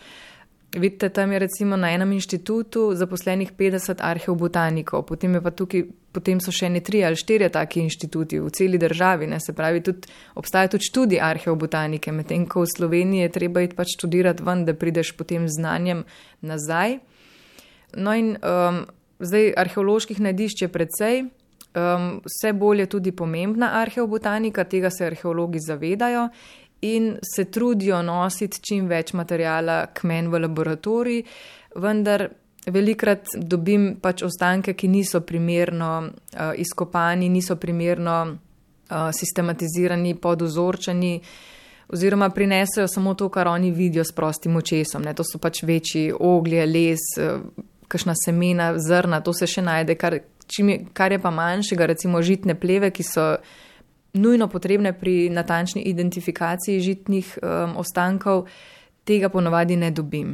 E: vidite, tam je recimo na enem inštitutu zaposlenih 50 arheobotanikov, potem so še 3 ali 4 taki inštituti v celi državi, se pravi, obstaja tudi študij arheobotanike, medtem ko v Sloveniji je treba iti pač študirati ven, da prideš potem z znanjem nazaj. No in zdaj arheoloških najdišč je precej, vse bolj je tudi pomembna arheobotanika, tega se arheologi zavedajo in se trudijo nositi čim več materijala k meni v laboratorij, vendar velikrat dobim pač ostanke, ki niso primerno izkopani, niso primerno sistematizirani, podozorčeni oziroma prinesejo samo to, kar oni vidijo s prostim očesom. To so pač večji oglje, les, kakšna semena, zrna, to se še najde, kar je pa manjšega, recimo žitne pleve, ki so nujno potrebne pri natančni identifikaciji žitnih ostankov, tega ponavadi ne dobim.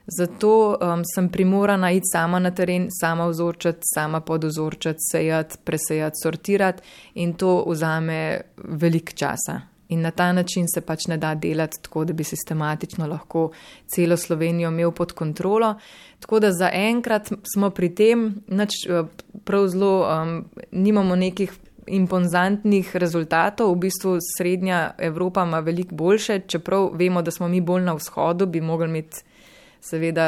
E: Zato sem primorana iti sama na teren, sama vzorčati, sama podozorčati, sejati, presejati, sortirati in to vzame veliko časa. In na ta način se pač ne da delati tako, da bi sistematično lahko celo Slovenijo imel pod kontrolo. Tako da zaenkrat smo pri tem, prav zelo nimamo nekih imponzantnih rezultatov, v bistvu srednja Evropa ima veliko boljše, čeprav vemo, da smo mi bolj na vzhodu, bi mogli imeti seveda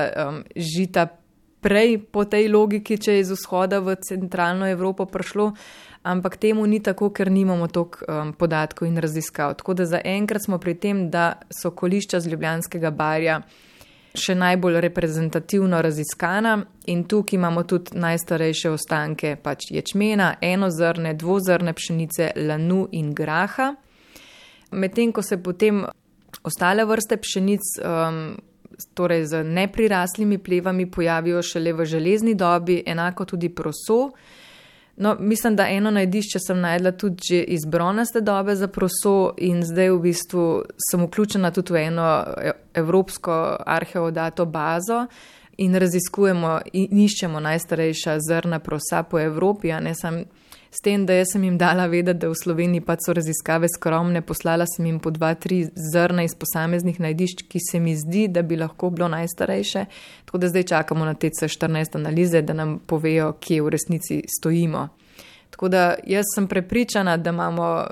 E: žita prej po tej logiki, če je iz vzhoda v centralno Evropo prišlo, ampak temu ni tako, ker nimamo toliko podatkov in raziskav. Tako da zaenkrat smo pri tem, da so kolišča z Ljubljanskega barja še najbolj reprezentativno raziskana in tukaj imamo tudi najstarejše ostanke pač ječmena, enozrne, dvozrne pšenice, lanu in graha. Medtem ko se potem ostale vrste pšenic torej z nepriraslimi plevami, pojavijo šele v železni dobi, enako tudi proso. No, mislim, da eno najdišče sem najdla tudi že iz bronaste dobe za proso in zdaj v bistvu sem vključena tudi v eno evropsko arheodato bazo in raziskujemo in iščemo najstarejša zrna prosa po Evropi, a ne sam s tem, da jaz sem jim dala vedeti, da v Sloveniji pač so raziskave skromne, poslala sem jim po 2-3 zrna iz posameznih najdišč, ki se mi zdi, da bi lahko bilo najstarejše, tako da zdaj čakamo na te C14 analize, da nam povejo, kje v resnici stojimo. Tako da jaz sem prepričana, da imamo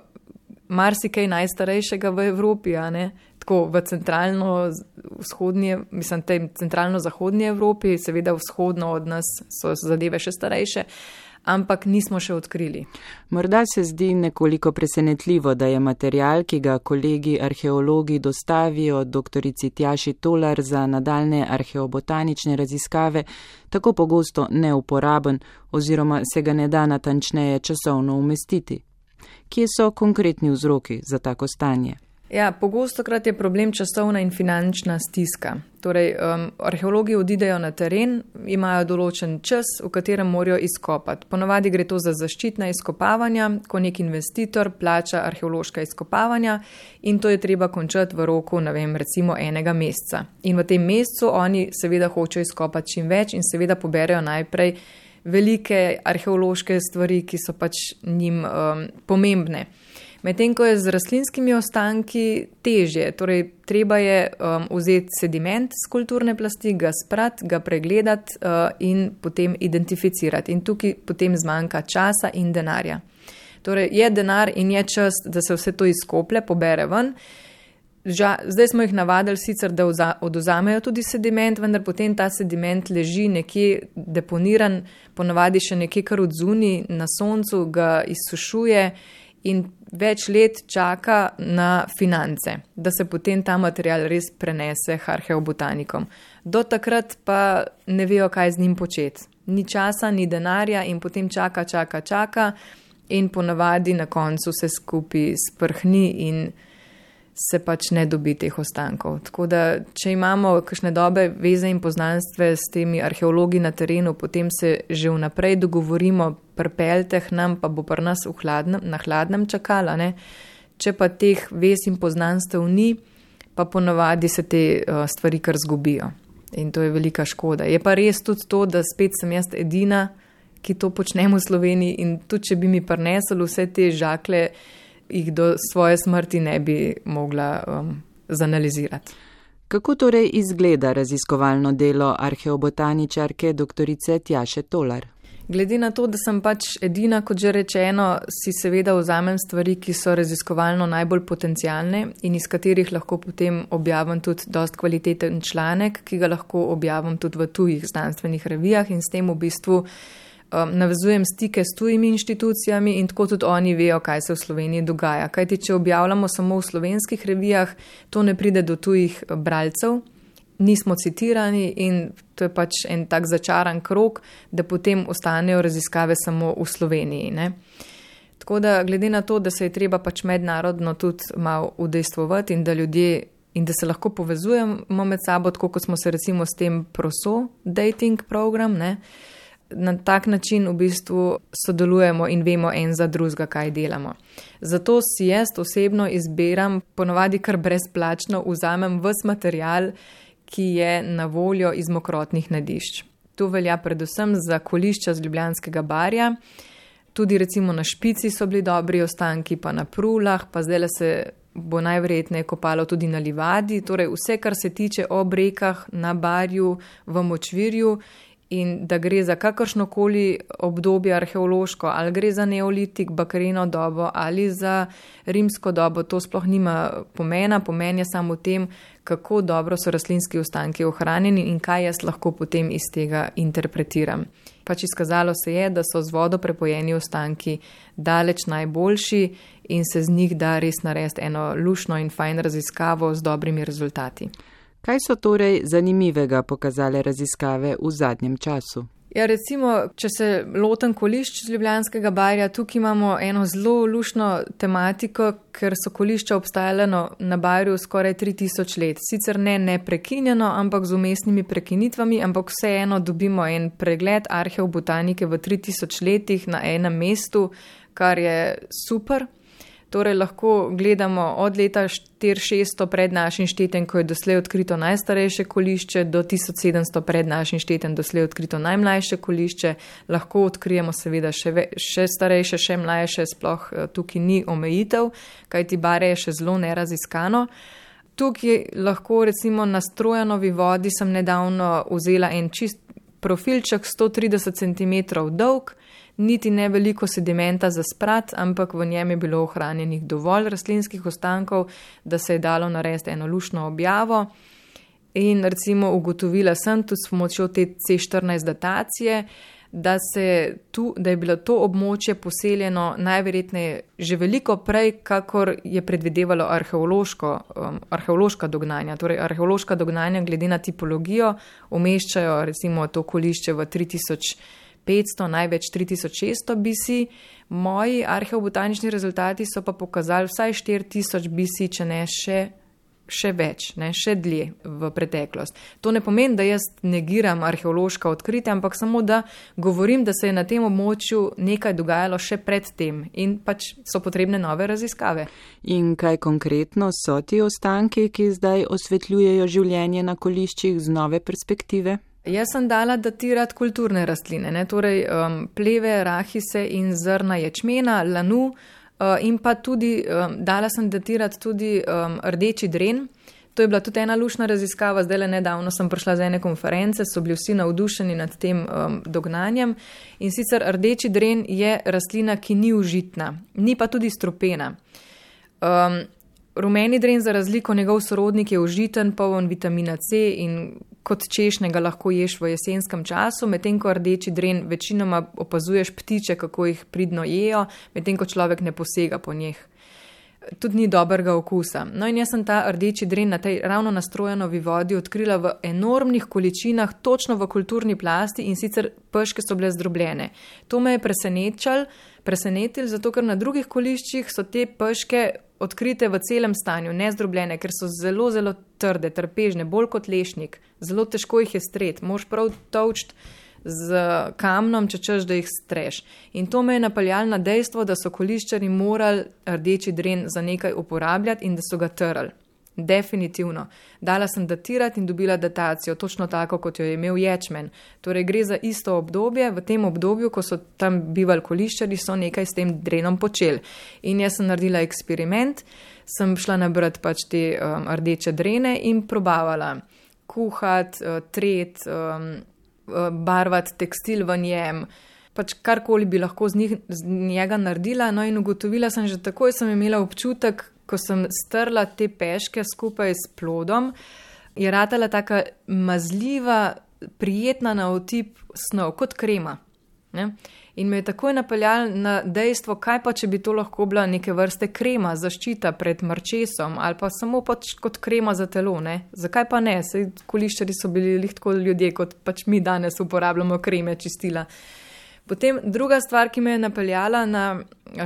E: marsikaj najstarejšega v Evropi, a ne? Tako v centralno-zahodnji Evropi, seveda vzhodno od nas so zadeve še starejše, ampak nismo še odkrili.
A: Morda se zdi nekoliko presenetljivo, da je material, ki ga kolegi arheologi dostavijo doktorici Tjaši Tolar za nadaljne arheobotanične raziskave, tako pogosto neuporaben oziroma se ga ne da natančneje časovno umestiti. Kje so konkretni vzroki za tako stanje?
E: Ja, pogostokrat je problem časovna in finančna stiska. Torej, arheologi odidejo na teren, imajo določen čas, v katerem morajo izkopati. Ponavadi gre to za zaščitna izkopavanja, ko nek investitor plača arheološka izkopavanja in to je treba končati v roku, recimo 1 meseca. In v tem mesecu oni seveda hočejo izkopati čim več in seveda poberejo najprej velike arheološke stvari, ki so pač njim pomembne. Medtem ko je z rastlinskimi ostanki težje, torej treba je vzeti sediment z kulturne plasti, ga sprati, ga pregledati in potem identificirati. In tukaj potem zmanjka časa in denarja. Torej je denar in je čas, da se vse to izkoplje, pobere ven. Zdaj smo jih navadili sicer, da oduzamejo tudi sediment, vendar potem ta sediment leži nekje deponiran, ponavadi še nekje kar odzuni, na soncu ga izsušuje in več let čaka na finance, da se potem ta material res prenese arheobotanikom. Do takrat pa ne vejo, kaj z njim početi. Ni časa, ni denarja in potem čaka in ponavadi na koncu se skupaj sprhni in se pač ne dobi teh ostankov. Tako da, če imamo kakšne dobre veze in poznanstve s temi arheologi na terenu, potem se že vnaprej dogovorimo, pripeljte k nam, pa bo pri nas na hladnem čakala. Ne? Če pa teh vez in poznanstev ni, pa ponavadi se te stvari kar zgubijo. In to je velika škoda. Je pa res tudi to, da spet sem jaz edina, ki to počnem v Sloveniji in tudi, če bi mi prinesli vse te žakle, jih do svoje smrti ne bi mogla zanalizirati.
A: Kako torej izgleda raziskovalno delo arheobotaničarke doktorice Tjaše Tolar?
E: Glede na to, da sem pač edina, kot že rečeno, si seveda vzamem stvari, ki so raziskovalno najbolj potencialne in iz katerih lahko potem objavim tudi dost kvaliteten članek, ki ga lahko objavim tudi v tujih znanstvenih revijah in s tem v bistvu navezujem stike s tujimi inštitucijami in tako tudi oni vejo, kaj se v Sloveniji dogaja. Kajti, če objavljamo samo v slovenskih revijah, to ne pride do tujih bralcev, nismo citirani in to je pač en tak začaran krog, da potem ostanejo raziskave samo v Sloveniji. Ne? Tako da, glede na to, da se je treba pač mednarodno tudi malo udejstvovati in da ljudje in da se lahko povezujemo med sabo, tako kot smo se recimo s tem proso dating program, ne? Na tak način v bistvu sodelujemo in vemo en za drugega, kaj delamo. Zato si jaz osebno izbiram, ponavadi kar brezplačno, vzamem ves material, ki je na voljo iz mokrotnih najdišč. To velja predvsem za kolišča z Ljubljanskega barja, tudi recimo na Špici so bili dobri ostanki, pa na Prulah, pa zdaj se bo najverjetneje kopalo tudi na Livadi, torej vse, kar se tiče ob rekah, na barju, v Močvirju, in da gre za kakršnokoli obdobje arheološko, ali gre za neolitik, bakarino dobo ali za rimsko dobo, to sploh nima pomena. Pomen je samo v tem, kako dobro so rastlinski ostanki ohranjeni in kaj jaz lahko potem iz tega interpretiram. Pač izkazalo se je, da so z vodo prepojeni ostanki daleč najboljši in se z njih da res narediti eno lušno in fajn raziskavo z dobrimi rezultati.
A: Kaj so torej zanimivega pokazale raziskave v zadnjem času?
E: Ja, recimo, če se lotem kolišč z Ljubljanskega barja, tukaj imamo eno zelo luštno tematiko, ker so kolišča obstajala na barju skoraj 3000 let. Sicer ne neprekinjeno, ampak z umestnimi prekinitvami, ampak vseeno dobimo en pregled arheobotanike v 3000 letih na enem mestu, kar je super. Torej lahko gledamo od leta 4600 pred našim štetjem, ko je doslej odkrito najstarejše kolišče, do 1700 pred našim štetjem doslej odkrito najmlajše kolišče. Lahko odkrijemo seveda še starejše, še mlajše, sploh tukaj ni omejitev, kajti Barje je še zelo neraziskano. Tukaj lahko recimo na Strojanovi vodi sem nedavno vzela en čist profilček 130 cm dolg, niti ne veliko sedimenta za sprat, ampak v njem je bilo ohranjenih dovolj rastlinskih ostankov, da se je dalo narediti eno luštno objavo. In recimo ugotovila sem tudi s pomočjo te C14 datacije, da je bilo to območje poseljeno najverjetneje že veliko prej, kakor je predvidevalo arheološka dognanja. Torej arheološka dognanja glede na tipologijo umeščajo recimo to kolišče v 3500, največ 3600 BC. Moji arheobotanični rezultati so pa pokazali vsaj 4000 BC, če ne še več, še dlje v preteklost. To ne pomeni, da jaz negiram arheološka odkritja, ampak samo da govorim, da se je na tem območju nekaj dogajalo še pred tem in pač so potrebne nove raziskave.
A: In kaj konkretno so ti ostanki, ki zdaj osvetljujejo življenje na koliščih z nove perspektive?
E: Jaz sem dala datirati kulturne rastline, torej pleve, rahise in zrna ječmena, lanu, in pa tudi dala sem datirati tudi rdeči dren. To je bila tudi ena luštna raziskava, zdaj nedavno sem prišla z ene konference, so bili vsi navdušeni nad tem dognanjem. In sicer rdeči dren je rastlina, ki ni užitna, ni pa tudi strupena. Rumeni dren za razliko njegov sorodnik je užiten, poln vitamina C in kot češnjega lahko ješ v jesenskem času, medtem ko rdeči dren večinoma opazuješ ptiče, kako jih pridno jejo, medtem ko človek ne posega po njih. Tudi ni dobrega okusa. No in jaz sem ta rdeči dren na tej ravno na Strojanovi vodi odkrila v enormnih količinah, točno v kulturni plasti in sicer peške so bile zdrobljene. To me je presenetilo, zato ker na drugih koliščih so te peške odkrite v celem stanju, nezdrobljene, ker so zelo, zelo trde, trpežne, bolj kot lešnik. Zelo težko jih je streti, moš prav tolčiti z kamnom, če češ, da jih streš. In to me je napeljalo na dejstvo, da so koliščari morali rdeči dren za nekaj uporabljati in da so ga trli. Definitivno. Dala sem datirati in dobila datacijo, točno tako, kot jo je imel ječmen. Torej gre za isto obdobje, v tem obdobju, ko so tam bivali koliščari, so nekaj s tem drenom počeli. In jaz sem naredila eksperiment, sem šla nabrati pač te rdeče drene in probavala kuhati, tret, barvati tekstil v njem, pač karkoli bi lahko z njega naredila. No in ugotovila sem, že takoj sem imela občutek, ko sem strla te peške skupaj s plodom, je ratala taka mazljiva, prijetna na otip snov, kot krema. Ne? In me je takoj napeljalo na dejstvo, kaj pa, če bi to lahko bila neke vrste krema, zaščita pred mrčesom ali pa samo pač kot krema za telo. Ne? Zakaj pa ne? Saj koliščari so bili tako ljudje, kot pač mi danes uporabljamo kreme, čistila. Potem druga stvar, ki me je napeljala na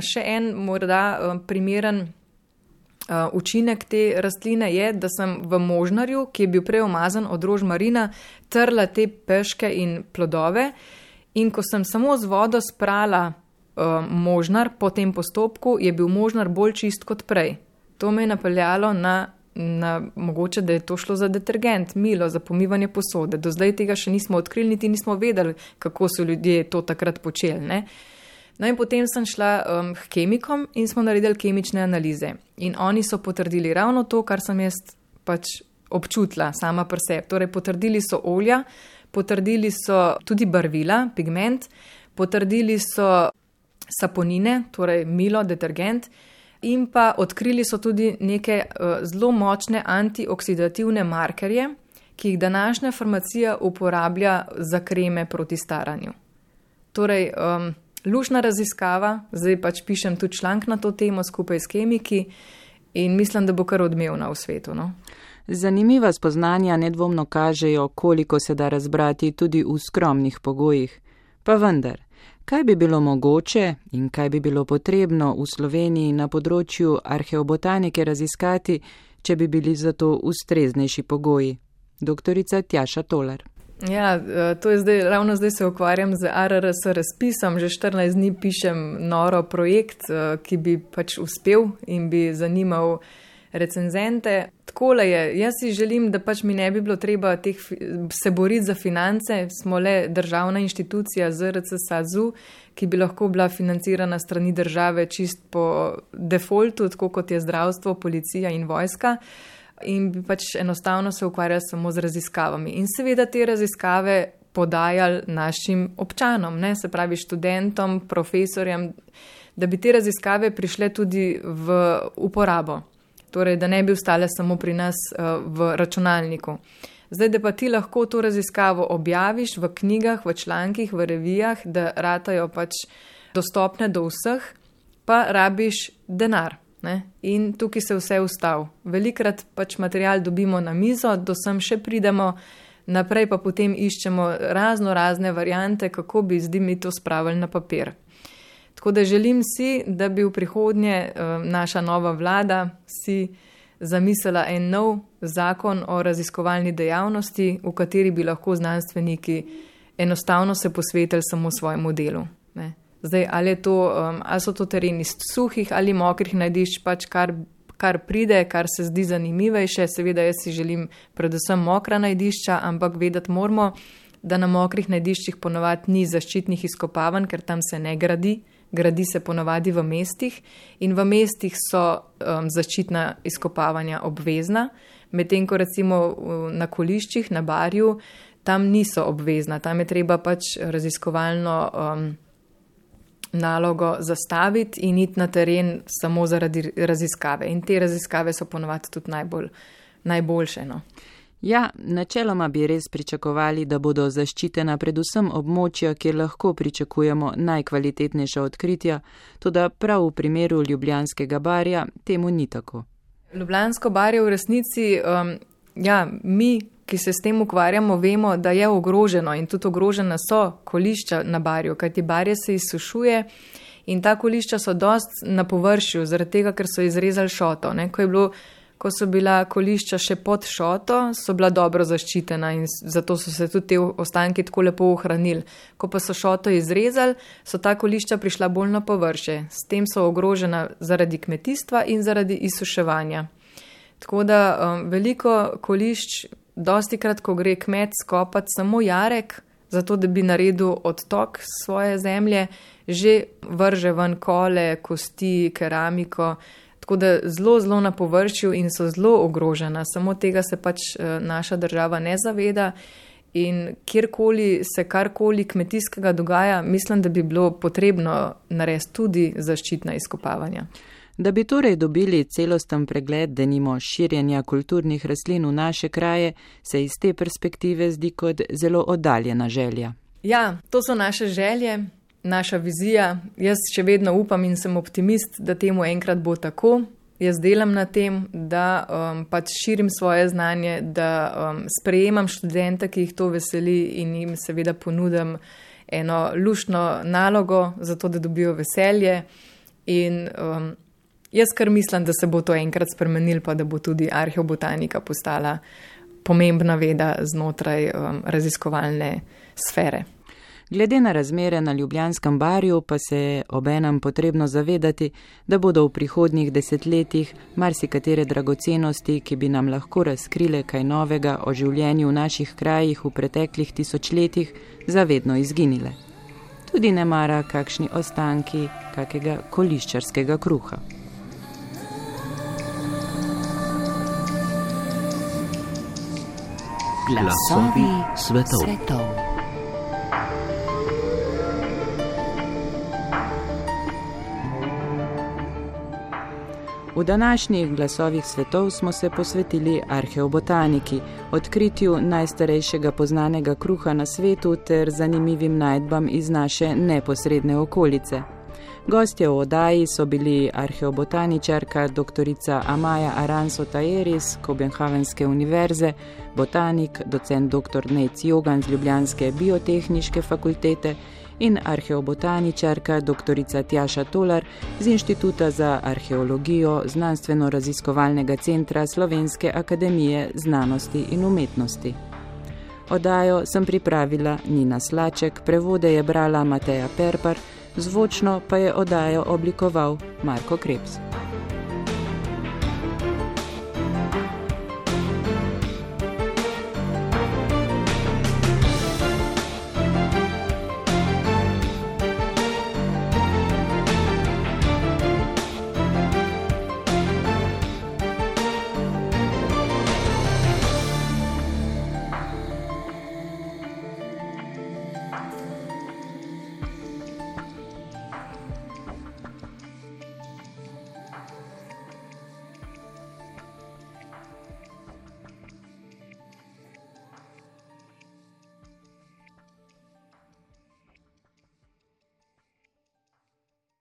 E: še en morda primeren učinek te rastline je, da sem v možnarju, ki je bil prej umazan od rožmarina, trla te peške in plodove in ko sem samo z vodo sprala možnar po tem postopku, je bil možnar bolj čist kot prej. To me je napeljalo na mogoče, da je to šlo za detergent, milo, za pomivanje posode. Do zdaj tega še nismo odkrili, niti nismo vedeli, kako so ljudje to takrat počeli, ne? No in potem sem šla k kemikom in smo naredili kemične analize. In oni so potrdili ravno to, kar sem jaz pač občutila sama pri sebi. Torej potrdili so olja, potrdili so tudi barvila, pigment, potrdili so saponine, torej milo, detergent, in pa odkrili so tudi neke zelo močne antioksidativne markerje, ki jih današnja farmacija uporablja za kreme proti staranju. Torej, luštna raziskava, zdaj pač pišem tudi članek na to temo skupaj s kemiki in mislim, da bo kar odmevna v svetu. No?
A: Zanimiva spoznanja nedvomno kažejo, koliko se da razbrati tudi v skromnih pogojih. Pa vendar, kaj bi bilo mogoče in kaj bi bilo potrebno v Sloveniji na področju arheobotanike raziskati, če bi bili za to ustreznejši pogoji? Doktorica Tjaša Tolar.
E: Ja, to je ravno zdaj se ukvarjam z ARRS razpisom, že 14 dni pišem noro projekt, ki bi pač uspel in bi zanimal recenzente. Takole je, jaz si želim, da pač mi ne bi bilo treba se boriti za finance, smo le državna inštitucija ZRC SAZU, ki bi lahko bila financirana strani države čist po defaultu, tako kot je zdravstvo, policija in vojska, in bi pač enostavno se ukvarjali samo z raziskavami. In seveda te raziskave podajali našim občanom, ne? Se pravi študentom, profesorjem, da bi te raziskave prišle tudi v uporabo. Torej, da ne bi ostale samo pri nas v računalniku. Zdaj, da pa ti lahko to raziskavo objaviš v knjigah, v člankih, v revijah, da ratajo pač dostopne do vseh, pa rabiš denar. Ne? In tukaj se vse ustavi. Velikrat pač material dobimo na mizo, do sem še pridemo, naprej pa potem iščemo razne variante, kako bi zdaj mi to spravili na papir. Tako da želim si, da bi v prihodnje naša nova vlada si zamislila en nov zakon o raziskovalni dejavnosti, v kateri bi lahko znanstveniki enostavno se posvetili samo svojemu delu. Ne. Zdaj, ali so to tereni suhih ali mokrih najdišč, pač kar pride, kar se zdi zanimivejše. Seveda jaz si želim predvsem mokra najdišča, ampak vedeti moramo, da na mokrih najdiščih ponovadi ni zaščitnih izkopavanj, ker tam se ne gradi. Gradi se ponovadi v mestih in v mestih so zaščitna izkopavanja obvezna, medtem ko recimo na Koliščih, na Barju, tam niso obvezna. Tam je treba pač raziskovalno nalogo zastaviti in iti na teren samo zaradi raziskave. In te raziskave so ponovadi tudi najboljše. No.
A: Ja, načeloma bi res pričakovali, da bodo zaščitena predvsem območja, kjer lahko pričakujemo najkvalitetnejša odkritja, toda prav v primeru Ljubljanskega barja temu ni tako.
E: Ljubljansko barje v resnici, mi, ki se s tem ukvarjamo, vemo, da je ogroženo in tudi ogrožena so kolišča na barju, kajti barje se izsušuje in ta kolišča so dost na površju, zaradi tega, ker so izrezali šoto. Ne? Ko so bila kolišča še pod šoto, so bila dobro zaščitena in zato so se tudi te ostanki tako lepo ohranili. Ko pa so šoto izrezali, so ta kolišča prišla bolj na površje. S tem so ogrožena zaradi kmetijstva in zaradi izsuševanja. Tako da veliko kolišč, dostikrat, ko gre kmet skopati samo jarek, zato da bi naredil odtok svoje zemlje, že vrže ven kole, kosti, keramiko, tako da zelo na površju in so zelo ogrožena. Samo tega se pač naša država ne zaveda in kjerkoli se karkoli kmetijskega dogaja, mislim, da bi bilo potrebno narediti tudi zaščitna izkopavanja.
A: Da bi torej dobili celosten pregled, denimo širjenja kulturnih rastlin v naše kraje, se iz te perspektive zdi kot zelo oddaljena želja.
E: Ja, to so naše želje. Naša vizija, jaz še vedno upam in sem optimist, da temu enkrat bo tako. Jaz delam na tem, da pač širim svoje znanje, da sprejemam študente, ki jih to veseli in jim seveda ponudim eno luštno nalogo, zato da dobijo veselje. In jaz kar mislim, da se bo to enkrat spremenil, pa da bo tudi arheobotanika postala pomembna veda znotraj raziskovalne sfere.
A: Glede na razmere na Ljubljanskem barju pa se je obenem potrebno zavedati, da bodo v prihodnjih desetletjih marsikatere dragocenosti, ki bi nam lahko razkrile kaj novega o življenju v naših krajih v preteklih tisočletjih, zavedno izginile. Tudi ne mara kakšni ostanki kakega koliščarskega kruha.
F: Glasovi svetov.
A: V današnjih glasovih svetov smo se posvetili arheobotaniki, odkritju najstarejšega poznanega kruha na svetu ter zanimivim najdbam iz naše neposredne okolice. Gostje v oddaji so bili arheobotaničarka doktorica Amaja Aranso-Tajer iz Kopenhagenske univerze, botanik, docent dr. Nejc Jogan z Ljubljanske biotehniške fakultete in arheobotaničarka dr. Tjaša Tolar z Inštituta za arheologijo Znanstveno-raziskovalnega centra Slovenske akademije znanosti in umetnosti. Oddajo sem pripravila Nina Slaček, prevode je brala Mateja Perpar, zvočno pa je oddajo oblikoval Marko Krebs.